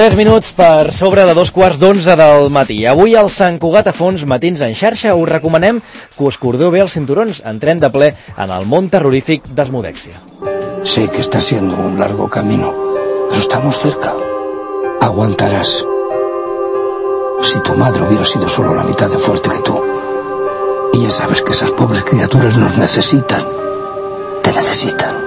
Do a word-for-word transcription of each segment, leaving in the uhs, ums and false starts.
Tres minuts per sobre de dos quarts d'onze del matí. Avui al Sant Cugat a Fons, Matins en xarxa, us recomanem que us cordeu bé els cinturons. Entrem de ple en el món terrorífic d'Asmodèxia. Sé que está siendo un largo camino, pero estamos cerca. Aguantarás. Si tu madre hubiera sido solo la mitad de fuerte que tú, y ya sabes que esas pobres criaturas nos necesitan, te necesitan.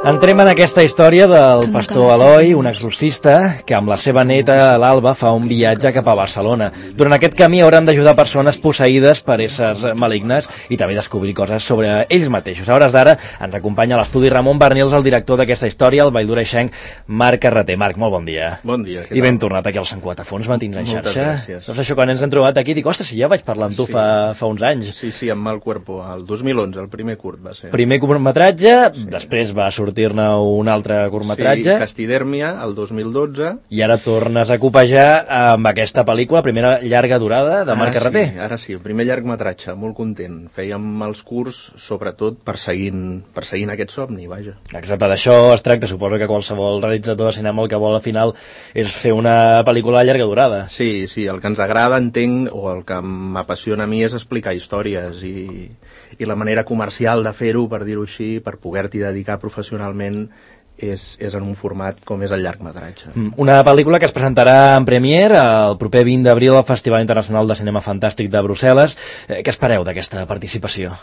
Entrem en aquesta història del pastor Eloi, un exorcista que amb la seva neta, l'Alba, fa un viatge cap a Barcelona. Durant aquest camí hauran d'ajudar persones posseïdes per éssers malignes i també descobrir coses sobre ells mateixos. A hores d'ara ens acompanya a l'estudi Ramon Bernils, el director d'aquesta història, el valldoreixenc Marc Carreter. Marc, molt bon dia. Bon dia. I ben tornat aquí al Sant Cugat a Fons, Matins en xarxa. Moltes gràcies. Doncs això, quan ens hem trobat aquí, dic, ostres, si ja vaig parlar amb tu Sí. fa, fa uns anys. Sí, sí, amb Mal Cuerpo, el dos mil onze, el primer curt va ser. Primer curtmetratge, sí. Després va sortir sortir-ne un altre curtmetratge. Sí, Castidèrmia, el dos mil dotze. I ara tornes a copejar amb aquesta pel·lícula, primera llarga durada de Marc Carreter. Sí, ara sí, el primer llargmetratge, molt content. Fèiem els curts, sobretot, perseguint, perseguint aquest somni, vaja. Exacte, d'això es tracta. Suposo que qualsevol realitzador de cinema el que vol al final és fer una pel·lícula de llarga durada. Sí, sí, el que ens agrada, entenc, o el que m'apassiona a mi és explicar històries i, i la manera comercial de fer-ho, per dir-ho així, per poder-t'hi dedicar professionalment, és, és en un format com és el llargmetratge. Una pel·lícula que es presentarà en premier el proper vint d'abril al Festival Internacional de Cinema Fantàstic de Brussel·les. Què espereu d'aquesta participació?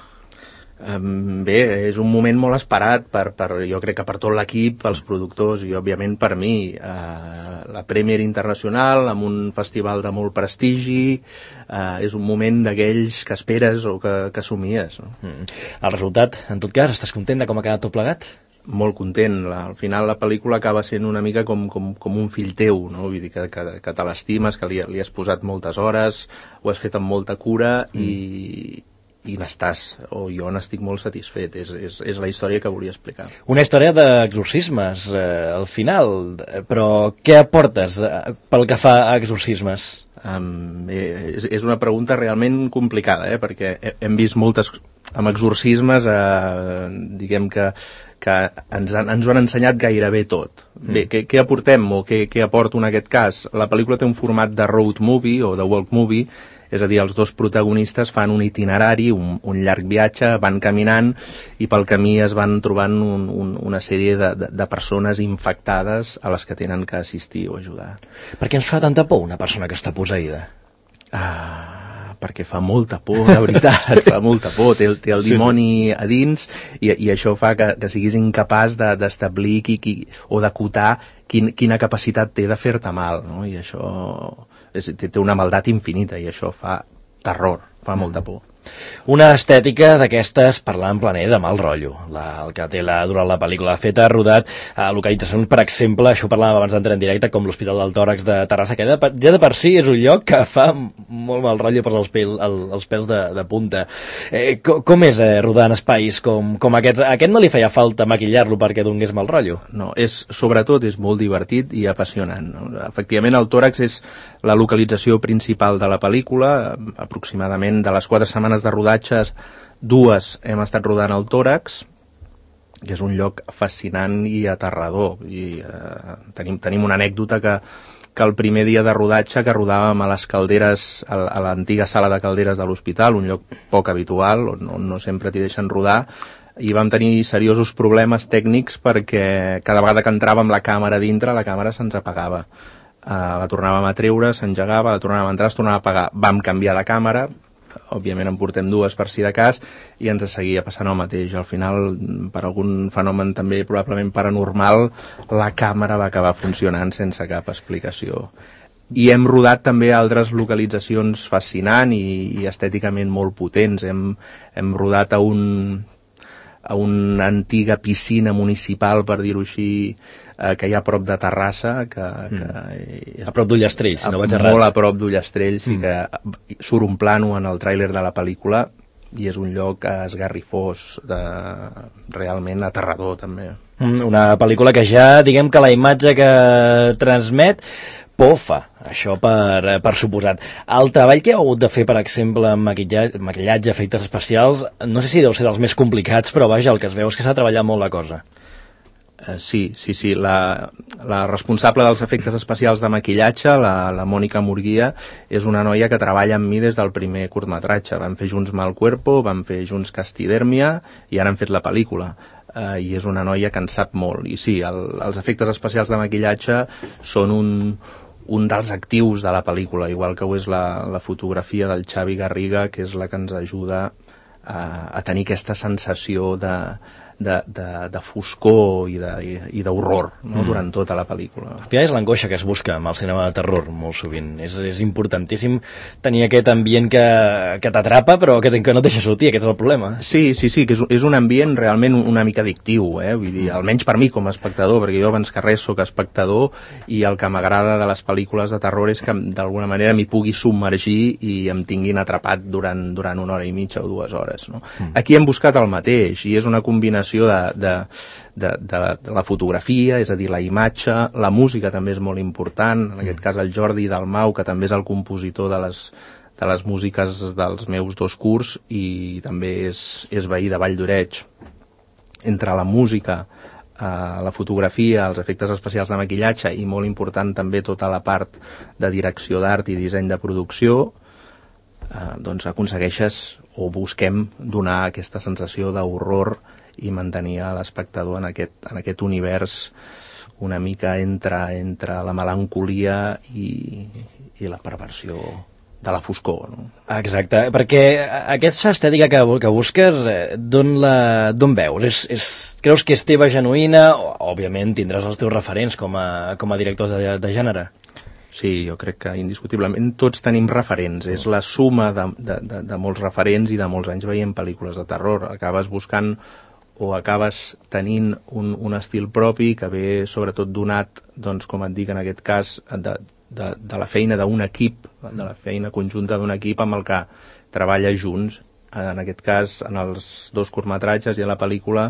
Um, bé, és un moment molt esperat per, per, jo crec que per tot l'equip, pels productors i òbviament per mi. Uh, la Premier Internacional, amb un festival de molt prestigi, uh, és un moment d'aquells que esperes o que, que somies, no? Mm. El resultat, en tot cas, estàs content de com ha quedat tot plegat? Molt content. La, al final la pel·lícula acaba sent una mica com, com, com un fill teu, no? Vull dir que, que, que te l'estimes, que li, li has posat moltes hores, ho has fet amb molta cura mm. i... i n'estàs, o jo n'estic molt satisfet. És, és, és la història que volia explicar. Una història d'exorcismes, eh, al final, però què aportes eh, pel que fa a exorcismes? Um, eh, és, és una pregunta realment complicada, eh, perquè hem vist moltes amb exorcismes, eh, diguem que, que ens, han, ens ho han ensenyat gairebé tot. Mm. Bé, què, què aportem o què, què aporto en aquest cas? La pel·lícula té un format de road movie o de walk movie, és a dir, els dos protagonistes fan un itinerari, un, un llarg viatge, van caminant i pel camí es van trobant un, un, una sèrie de, de, de persones infectades a les que tenen que assistir o ajudar. Per què ens fa tanta por una persona que està posseïda? Ah, perquè fa molta por, de veritat, fa molta por, té, té el dimoni sí, sí. a dins i, i això fa que, que siguis incapaç d'establir de, qui, qui, o d'acotar quin, quina capacitat té de fer-te mal, no? I això és, té, té una maldat infinita i això fa terror, fa molta por. Una estètica d'aquestes parlant planer de mal rotllo, la, el que té la, durant la pel·lícula feta, rodat a localitzacions, per exemple, això parlàvem abans d'entrar en directe, com l'Hospital del Tòrax de Terrassa, que ja de, ja de per si és un lloc que fa molt mal rotllo per als, pel, el, els pèls de, de punta. Eh, com, com és eh, rodar en espais com, com aquests? A aquest no li feia falta maquillar-lo perquè donés mal rotllo? No, és, sobretot és molt divertit i apassionant. No? Efectivament, el tòrax és la localització principal de la pel·lícula, aproximadament de les quatre setmanes de rodatges, dues hem estat rodant al tòrax, que és un lloc fascinant i aterrador. I, eh, tenim, tenim una anècdota que, que el primer dia de rodatge, que rodàvem a les calderes, a, a l'antiga sala de calderes de l'hospital, un lloc poc habitual, on no, no sempre t'hi deixen rodar, i vam tenir seriosos problemes tècnics perquè cada vegada que entràvem la càmera dintre, la càmera se'ns apagava. Uh, la tornàvem a treure, s'engegava, la tornàvem a entrar, es tornava a apagar. Vam canviar de càmera, òbviament en portem dues per si de cas, i ens seguia passant el mateix. Al final, per algun fenomen també probablement paranormal, la càmera va acabar funcionant sense cap explicació. I hem rodat també altres localitzacions fascinants i, i estèticament molt potents. Hem, hem rodat a un... a una antiga piscina municipal, per dir-ho així, eh, que hi ha a prop de Terrassa, que, que mm. a prop d'Ullastrell, si no vaig errat. Molt a prop d'Ullastrell, sí, mm. que surt un plano en el tràiler de la pel·lícula i és un lloc esgarrifós, de, realment aterrador també. Una pel·lícula que ja, diguem que la imatge que transmet por fa, això per, per suposat. El treball que heu hagut de fer, per exemple, amb maquillatge, maquillatge, efectes especials, no sé si deu ser dels més complicats, però vaja, el que es veu és que s'ha treballat molt la cosa. Uh, sí, sí, sí. La, la responsable dels efectes especials de maquillatge, la, la Mònica Murguia, és una noia que treballa amb mi des del primer curtmetratge. Vam fer junts Mal Cuerpo, vam fer junts Castidèrmia i ara han fet la pel·lícula. Uh, I és una noia que en sap molt. I sí, el, els efectes especials de maquillatge són un, un dels actius de la pel·lícula, igual que ho és la, la fotografia del Xavi Garriga, que és la que ens ajuda a, a tenir aquesta sensació de... De, de, de foscor i d'horror, no? Mm. Durant tota la pel·lícula. Al final és l'angoixa que es busca amb el cinema de terror, molt sovint. És, és importantíssim tenir aquest ambient que, que t'atrapa, però que, que no et deixa sortir, aquest és el problema. Sí, sí, sí, que és, és un ambient realment una mica addictiu, eh? Vull dir, almenys per mi com a espectador, perquè jo abans que res soc espectador i el que m'agrada de les pel·lícules de terror és que d'alguna manera m'hi pugui submergir i em tinguin atrapat durant, durant una hora i mitja o dues hores, no? Mm. Aquí hem buscat el mateix i és una combinació De, de, de, de, de la fotografia, és a dir, la imatge, la música també és molt important, en aquest cas el Jordi Dalmau, que també és el compositor de les, de les músiques dels meus dos curts i també és, és veí de Vall d'Oreig. Entre la música, eh, la fotografia, els efectes especials de maquillatge i molt important també tota la part de direcció d'art i disseny de producció, eh, doncs aconsegueixes o busquem donar aquesta sensació d'horror i mantenir a l'espectador en aquest, en aquest univers una mica entre, entre la melancolia i, i la perversió de la foscor, no? Exacte, perquè aquesta estètica que, que busques, d'on la, d'on veus? És, és, creus que és teva genuïna? O, òbviament tindràs els teus referents com a, com a directors de, de gènere. Sí, jo crec que indiscutiblement tots tenim referents, és la suma de, de, de, de molts referents i de molts anys veient pel·lícules de terror. Acabes buscant o acabes tenint un, un estil propi que ve sobretot donat, doncs, com et dic en aquest cas, de, de, de la feina d'un equip, de la feina conjunta d'un equip amb el que treballa junts. En aquest cas, en els dos curtmetratges i a la pel·lícula,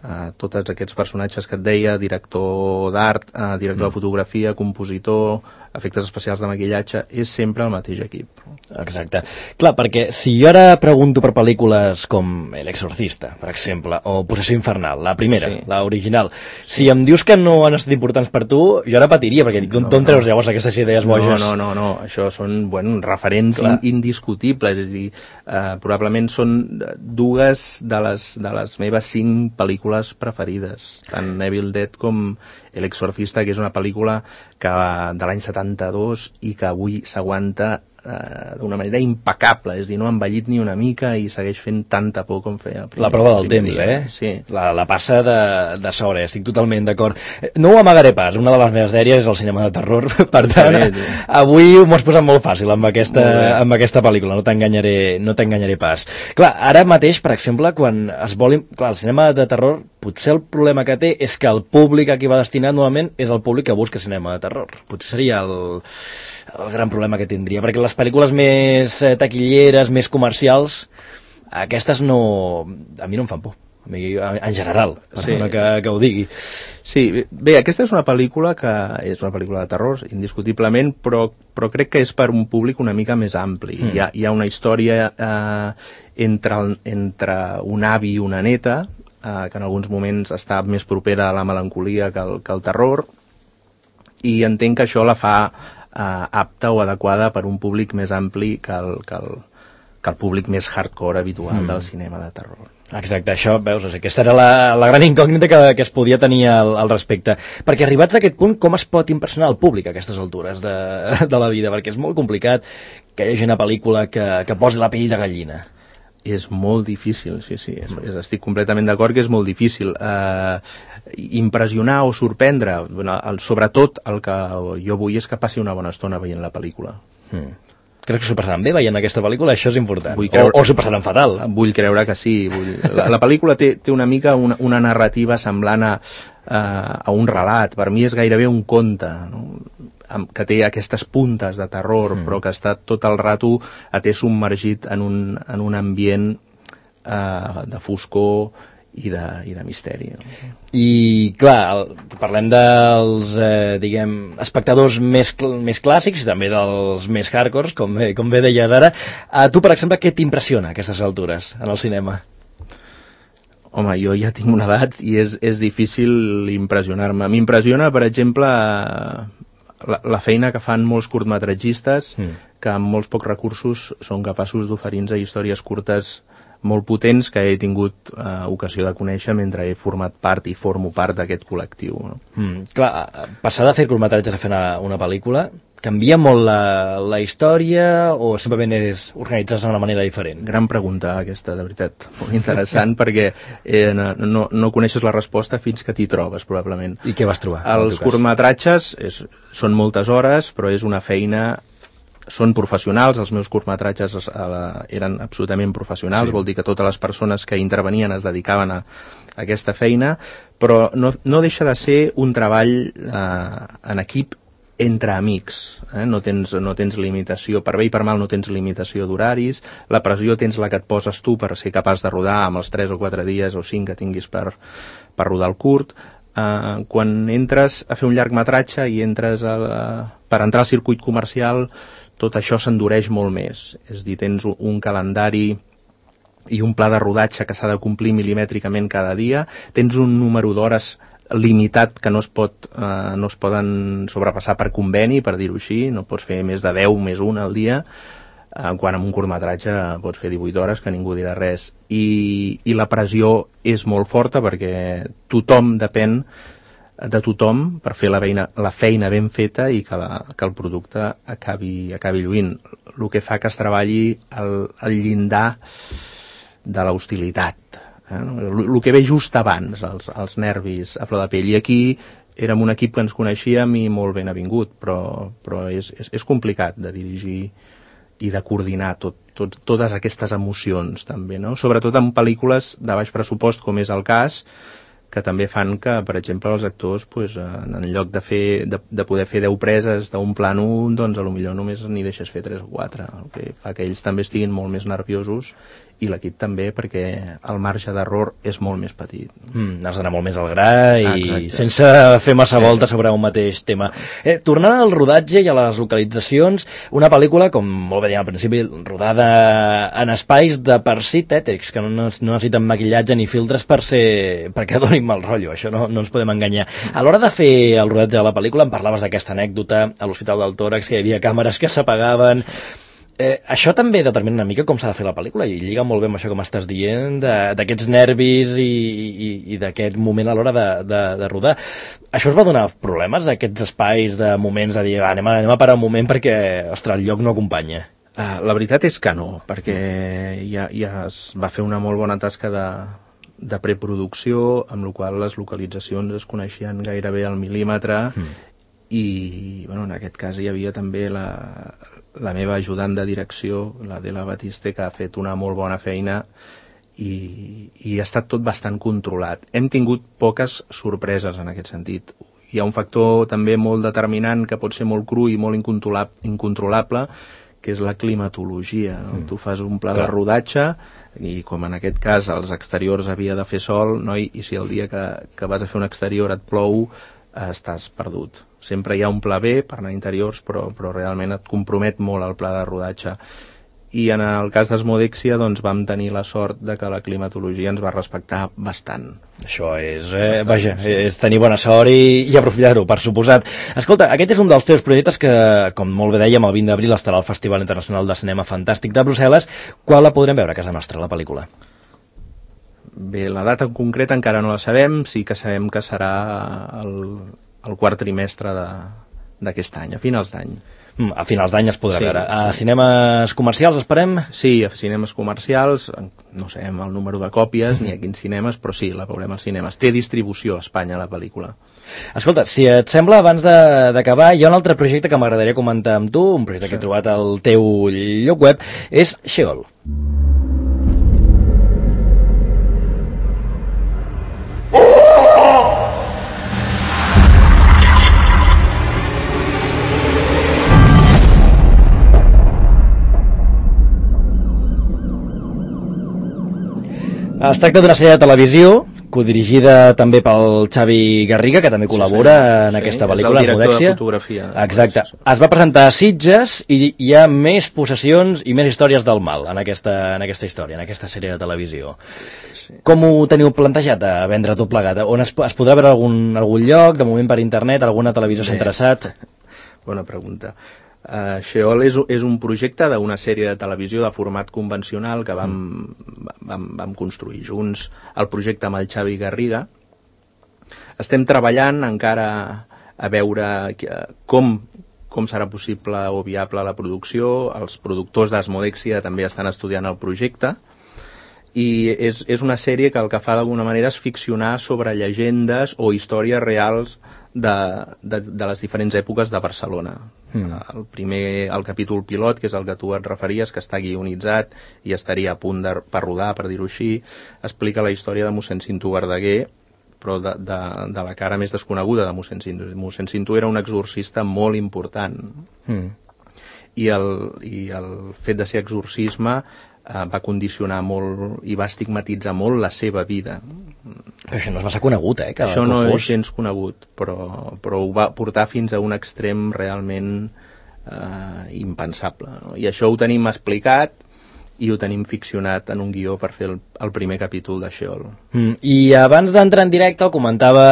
eh, tots aquests personatges que et deia, director d'art, eh, director mm. de fotografia, compositor, efectes especials de maquillatge, és sempre el mateix equip. Exacte. Clar, perquè si jo ara pregunto per pel·lícules com El Exorcista, per exemple, o Possessió Infernal, la primera, sí. la original, si em dius que no han estat importants per tu, jo ara patiria, perquè dic, d'on no, no. treus llavors aquestes idees boges? No, no, no, no. Això són, bueno, referents in, indiscutibles, és a dir, eh, probablement són dues de les, de les meves cinc pel·lícules preferides, tant Evil Dead com El Exorcista, que és una pel·lícula que de l'any setanta-dos i que avui s'aguanta eh, d'una manera impecable, és a dir, no ha envellit ni una mica i segueix fent tanta por com feia el primer. La prova del temps, dia. eh? Sí. La, la passa de, de sobre, estic totalment d'acord. No ho amagaré pas, una de les meves sèries és el cinema de terror, per tant, bé, avui m'ho has posat molt fàcil amb aquesta, amb aquesta pel·lícula, no t'enganyaré no t'enganyaré pas. Clar, ara mateix, per exemple, quan es vol... Clar, el cinema de terror, potser el problema que té és que el públic a qui va destinat normalment és el públic que busca cinema de terror. Potser seria el, el gran problema que tindria, perquè les pel·lícules més taquilleres, més comercials, aquestes no... a mi no em fan por, a mi, en general, sí. que, que ho digui. Sí, bé, aquesta és una pel·lícula que és una pel·lícula de terror, indiscutiblement, però, però crec que és per un públic una mica més ampli. Mm. Hi, ha, hi ha una història eh, entre, entre un avi i una neta, eh, que en alguns moments està més propera a la melancolia que el, que el terror, i entenc que això la fa eh, apta o adequada per un públic més ampli que el, que el, que el públic més hardcore habitual mm. del cinema de terror. Exacte, això, veus, aquesta era la, la gran incògnita que, que es podia tenir al, al respecte. Perquè arribats a aquest punt, com es pot impressionar el públic a aquestes altures de, de la vida? Perquè és molt complicat que hi hagi una pel·lícula que, que posi la pell de gallina. És molt difícil, sí, sí, és, és, estic completament d'acord que és molt difícil. Eh, impressionar o sorprendre, el, sobretot el que jo vull és que passi una bona estona veient la pel·lícula. Mm. Creus que s'ho passaran bé veient aquesta pel·lícula? Això és important. Creure, o o s'ho passaran fatal. Vull creure que sí. Vull... La, la pel·lícula té, té una mica una, una narrativa semblant a, a, a un relat. Per mi és gairebé un conte, no? Que té aquestes puntes de terror, mm. però que està tot el rato a té submergit en un, en un ambient eh, de foscor i de, i de misteri. No? I, clar, el, parlem dels, eh, diguem, espectadors més, cl més clàssics i també dels més hardcores, com bé, com bé deies ara. A tu, per exemple, què t'impressiona a aquestes altures en el cinema? Home, jo ja tinc una edat i és, és difícil impressionar-me. M'impressiona, per exemple, la, la feina que fan molts curtmetratgistes mm. que amb molts pocs recursos són capaços d'oferir-nos històries curtes molt potents que he tingut eh, ocasió de conèixer mentre he format part i formo part d'aquest col·lectiu. No? Mm, clar, passar de fer curtmetratges a fer una, una pel·lícula canvia molt la, la història o simplement és organitzar-se d'una manera diferent? Gran pregunta aquesta, de veritat. Molt interessant perquè eh, no, no coneixes la resposta fins que t'hi trobes, probablement. I què vas trobar? Els curtmetratges és, són moltes hores, però és una feina... Són professionals, els meus curtmetratges eren absolutament professionals, sí. Vol dir que totes les persones que intervenien es dedicaven a, a aquesta feina, però no, no deixa de ser un treball eh, en equip entre amics, eh? no, tens, no tens limitació, per bé i per mal no tens limitació d'horaris, la pressió tens la que et poses tu per ser capaç de rodar amb els tres o quatre dies o cinc que tinguis per, per rodar el curt. Uh, quan entres a fer un llargmetratge i entres a la, per entrar al circuit comercial, tot això s'endureix molt més. És a dir, tens un calendari i un pla de rodatge que s'ha de complir milimètricament cada dia, tens un número d'hores limitat que no es, pot, eh, no es poden sobrepassar per conveni, per dir-ho així, no pots fer més de deu més un al dia, eh, quan amb un curtmetratge pots fer divuit hores que ningú dirà res. I, i la pressió és molt forta perquè tothom depèn de tothom per fer la feina, la feina ben feta i que, la, que el producte acabi, acabi lluint. El que fa que es treballi al, al llindar de l'hostilitat. Eh? El, el que ve just abans, els, els nervis a flor de pell. I aquí érem un equip que ens coneixíem i molt ben avingut, però, però és, és, és complicat de dirigir i de coordinar tot, tot, totes aquestes emocions també, no? Sobretot en pel·lícules de baix pressupost, com és el cas, que també fan que, per exemple, els actors, pues, en lloc de, fer, de, de poder fer deu preses d'un plano, doncs potser només n'hi deixes fer tres o quatre, el que fa que ells també estiguin molt més nerviosos i l'equip també, perquè el marge d'error és molt més petit. Mm, has d'anar molt més al gra i Exacte. Sense fer massa voltes sobre un mateix tema. Eh, tornant al rodatge i a les localitzacions, una pel·lícula, com molt bé dèiem al principi, rodada en espais de per si tètrics, que no, no necessiten maquillatge ni filtres per ser, perquè donin mal rotllo, això no, no ens podem enganyar. A l'hora de fer el rodatge de la pel·lícula em parlaves d'aquesta anècdota a l'Hospital del Tòrax, que hi havia càmeres que s'apagaven. Eh, això també determina una mica com s'ha de fer la pel·lícula i lliga molt bé amb això que m'estàs dient d'aquests nervis i, i, i d'aquest moment a l'hora de, de, de rodar. Això us va donar problemes, aquests espais de moments de dir, va, anem, a, anem a parar un moment perquè, ostres, el lloc no acompanya? Uh, la veritat és que no, perquè ja, ja es va fer una molt bona tasca de, de preproducció, amb la qual les localitzacions es coneixien gairebé al mil·límetre mm. i bueno, en aquest cas hi havia també la... la meva ajudant de direcció, la de la Batiste, que ha fet una molt bona feina i, i ha estat tot bastant controlat. Hem tingut poques sorpreses en aquest sentit. Hi ha un factor també molt determinant que pot ser molt cru i molt incontrolable, que és la climatologia. No? Mm. Tu fas un pla Clar. de rodatge i com en aquest cas els exteriors havia de fer sol, no? I, i si el dia que, que vas a fer un exterior et plou, eh, estàs perdut. Sempre hi ha un pla B per anar a interiors, però, però realment et compromet molt el pla de rodatge. I en el cas d'Asmodèxia doncs, vam tenir la sort de que la climatologia ens va respectar bastant. Això és, eh, bastant, vaja, sí. és tenir bona sort i, i aprofitar-ho, per suposat. Escolta, aquest és un dels teus projectes que, com molt bé dèiem, el vint d'abril estarà al Festival Internacional de Cinema Fantàstic de Brussel·les. Quan la podrem veure a casa nostra, la pel·lícula? Bé, la data en concret encara no la sabem, sí que sabem que serà el... el quart trimestre d'aquest any, a finals d'any. Mm, a finals d'any es podrà sí, veure. A sí. cinemes comercials esperem? Sí, a cinemes comercials, no sabem el número de còpies ni a quins cinemes, però sí, la veurem als cinemes. Té distribució a Espanya, la pel·lícula. Escolta, si et sembla, abans d'acabar, hi ha un altre projecte que m'agradaria comentar amb tu, un projecte sí. que he trobat al teu lloc web, és Sheol. Es tracta d'una sèrie de televisió codirigida també pel Xavi Garriga, que també col·labora sí, sí, en sí, aquesta pel·lícula. És el director de fotografia. Exacte. Es va presentar a Sitges i hi ha més possessions i més històries del mal en aquesta, en aquesta història, en aquesta sèrie de televisió. sí. Com ho teniu plantejat a vendre tot plegat? On es, es podrà veure algun, algun lloc, de moment per internet, alguna televisió s'ha interessat? Bona pregunta. Uh, Sheol és, és un projecte d'una sèrie de televisió de format convencional que vam, mm. vam, vam construir junts el projecte amb el Xavi Garriga. Estem treballant encara a veure com, com serà possible o viable la producció. Els productors d'Asmodexia també estan estudiant el projecte i és, és una sèrie que el que fa d'alguna manera és ficcionar sobre llegendes o històries reals de, de, de les diferents èpoques de Barcelona. Mm. El primer, el capítol pilot, que és el que tu et referies, que està guionitzat i estaria a punt de, per rodar, per dir-ho així, explica la història de mossèn Cinto Verdaguer, però de, de, de la cara més desconeguda de mossèn Cinto. mossèn Cinto era un exorcista molt important. Mm. I, el, I el fet de ser exorcisme eh, va condicionar molt i va estigmatitzar molt la seva vida. Però això no és massa conegut, eh? Que, això que no fos. és gens conegut, però, però ho va portar fins a un extrem realment eh, impensable. No? I això ho tenim explicat i ho tenim ficcionat en un guió per fer el, el primer capítol de Sheol. Mm, I abans d'entrar en directe, el comentava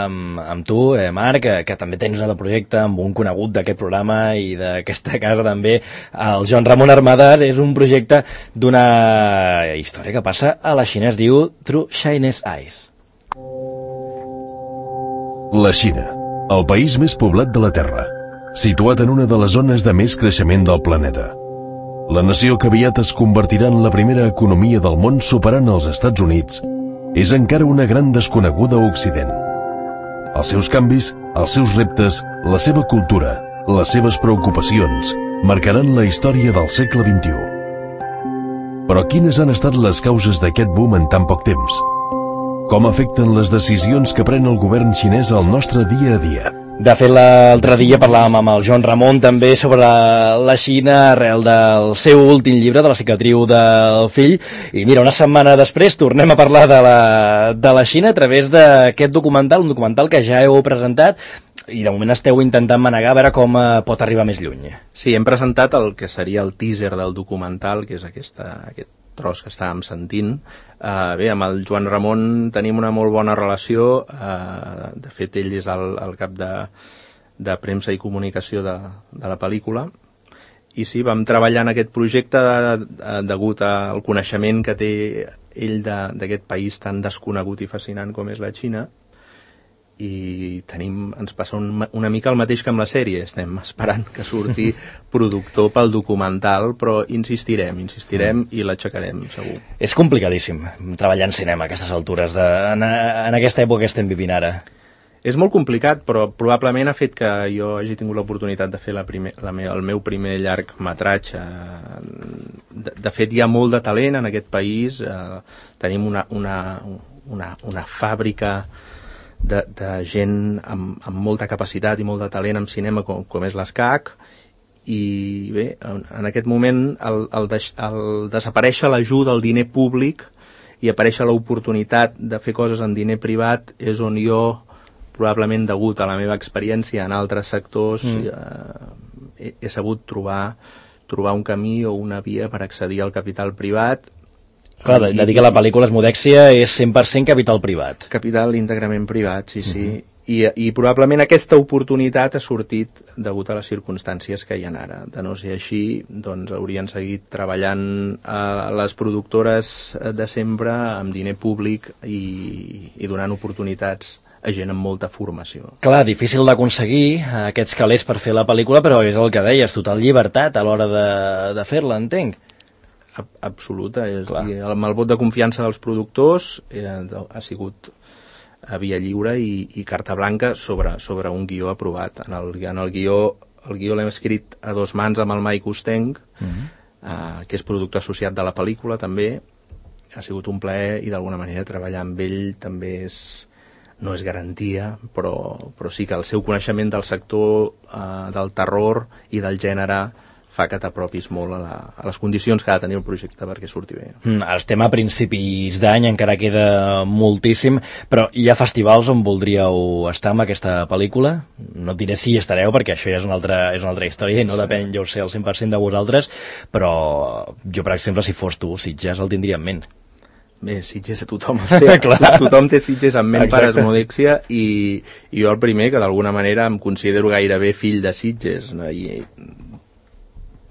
amb, amb tu, eh, Marc, que, que també tens un projecte amb un conegut d'aquest programa i d'aquesta casa també, el Joan Ramon Armadas. És un projecte d'una història que passa a la Xina, es diu Through Chinese Eyes. La Xina, el país més poblat de la Terra, situat en una de les zones de més creixement del planeta. La nació que aviat es convertirà en la primera economia del món superant els Estats Units és encara una gran desconeguda a Occident. Els seus canvis, els seus reptes, la seva cultura, les seves preocupacions marcaran la història del segle vint-i-u. Però quines han estat les causes d'aquest boom en tan poc temps? Com afecten les decisions que pren el govern xinès al nostre dia a dia? De fet, l'altre dia parlàvem amb el Joan Ramon també sobre la Xina arrel del seu últim llibre, de la cicatriu del fill, i mira, una setmana després tornem a parlar de la, de la Xina a través d'aquest documental, un documental que ja heu presentat i de moment esteu intentant manegar a veure com pot arribar més lluny. Sí, hem presentat el que seria el teaser del documental, que és aquesta, aquest tros que estàvem sentint. Uh, bé, amb el Joan Ramon tenim una molt bona relació. Uh, de fet, ell és el, el cap de, de premsa i comunicació de, de la pel·lícula. I sí, vam treballar en aquest projecte de, de, degut al coneixement que té ell d'aquest país tan desconegut i fascinant com és la Xina. I tenim, ens passa un, una mica el mateix que amb la sèrie. Estem esperant que surti productor pel documental, però insistirem, insistirem mm. i l'aixecarem, segur. És complicadíssim treballar en cinema a aquestes altures, de, en, en aquesta època que estem vivint ara. És molt complicat, però probablement ha fet que jo hagi tingut l'oportunitat de fer la primer, la me, el meu primer llargmetratge. De, de fet, hi ha molt de talent en aquest país. Eh, tenim una, una, una, una fàbrica De, de gent amb, amb molta capacitat i molt de talent en cinema com, com és l'Escac, i bé, en, en aquest moment el, el, deix, el desaparèixer l'ajuda al diner públic i aparèixer l'oportunitat de fer coses en diner privat és on jo, probablement degut a la meva experiència en altres sectors, mm. eh, he, he sabut trobar, trobar un camí o una via per accedir al capital privat. Clar, de dir que la pel·lícula Asmodexia és cent per cent capital privat. Capital íntegrament privat, sí, sí. Uh-huh. I, I probablement aquesta oportunitat ha sortit degut a les circumstàncies que hi ha ara. De no ser així, doncs haurien seguit treballant a les productores de sempre amb diner públic i, i donant oportunitats a gent amb molta formació. Clar, difícil d'aconseguir aquests calés per fer la pel·lícula, però és el que deies, total llibertat a l'hora de, de fer-la, entenc. Absoluta, és, i amb el vot de confiança dels productors eh, ha sigut a via lliure i, i carta blanca sobre, sobre un guió aprovat. En el, en el guió, el guió l'hem escrit a dos mans amb el Mike Usteng, uh-huh. eh, que és productor associat de la pel·lícula també. Ha sigut un plaer i d'alguna manera treballar amb ell també és, no és garantia, però, però sí que el seu coneixement del sector eh, del terror i del gènere fa que t'apropis molt a, la, a les condicions que ha de tenir el projecte perquè surti bé. Mm, estem a principis d'any, encara queda moltíssim, però hi ha festivals on voldríeu estar amb aquesta pel·lícula? No et diré si hi estareu, perquè això ja és una altra, és una altra història i no depèn, jo ho sé, al cent per cent de vosaltres, però jo, per exemple, si fos tu, Sitges el tindria en ment. Bé, Sitges a tothom té, tothom té Sitges en ment per Asmodèxia i, i jo el primer que d'alguna manera em considero gairebé fill de Sitges, no? I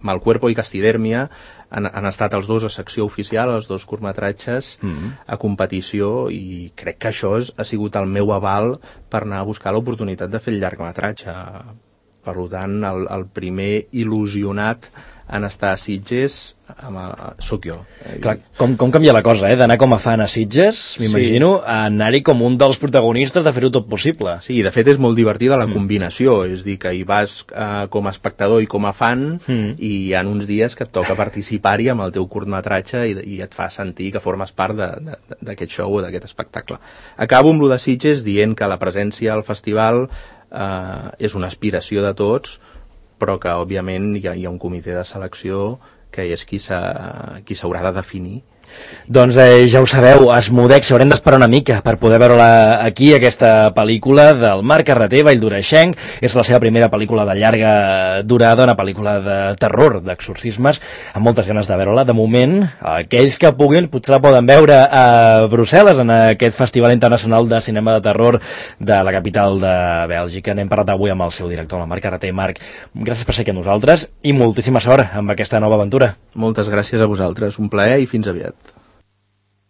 Malcuerpo i Castidèrmia han, han estat els dos a secció oficial, els dos curtmetratges mm-hmm. a competició, i crec que això és, ha sigut el meu aval per anar a buscar l'oportunitat de fer el llargmetratge. Per tant, el, el primer il·lusionat en estar a Sitges amb el, soc jo. Clar, com, com canvia la cosa, eh? D'anar com a fan a Sitges, m'imagino, sí. a anar-hi com un dels protagonistes de fer-ho tot possible. Sí, de fet és molt divertida la mm. combinació, és dir, que hi vas uh, com a espectador i com a fan, mm. i hi ha uns dies que et toca participar-hi amb el teu curtmetratge i, i et fa sentir que formes part d'aquest show o d'aquest espectacle. Acabo amb lo de Sitges dient que la presència al festival uh, és una aspiració de tots, però que òbviament hi ha, hi ha un comitè de selecció que és qui s'haurà de definir. Doncs eh, ja ho sabeu, Asmodèxia, haurem d'esperar una mica per poder veure-la aquí, aquesta pel·lícula del Marc Carreter, Valldoreixenc. És la seva primera pel·lícula de llarga durada, una pel·lícula de terror, d'exorcismes, amb moltes ganes de veure-la. De moment, aquells que puguin potser la poden veure a Brussel·les, en aquest Festival Internacional de Cinema de Terror de la capital de Bèlgica. N'hem parlat avui amb el seu director, el Marc Carreter. Marc, gràcies per ser aquí amb nosaltres i moltíssima sort amb aquesta nova aventura. Moltes gràcies a vosaltres, un plaer i fins aviat.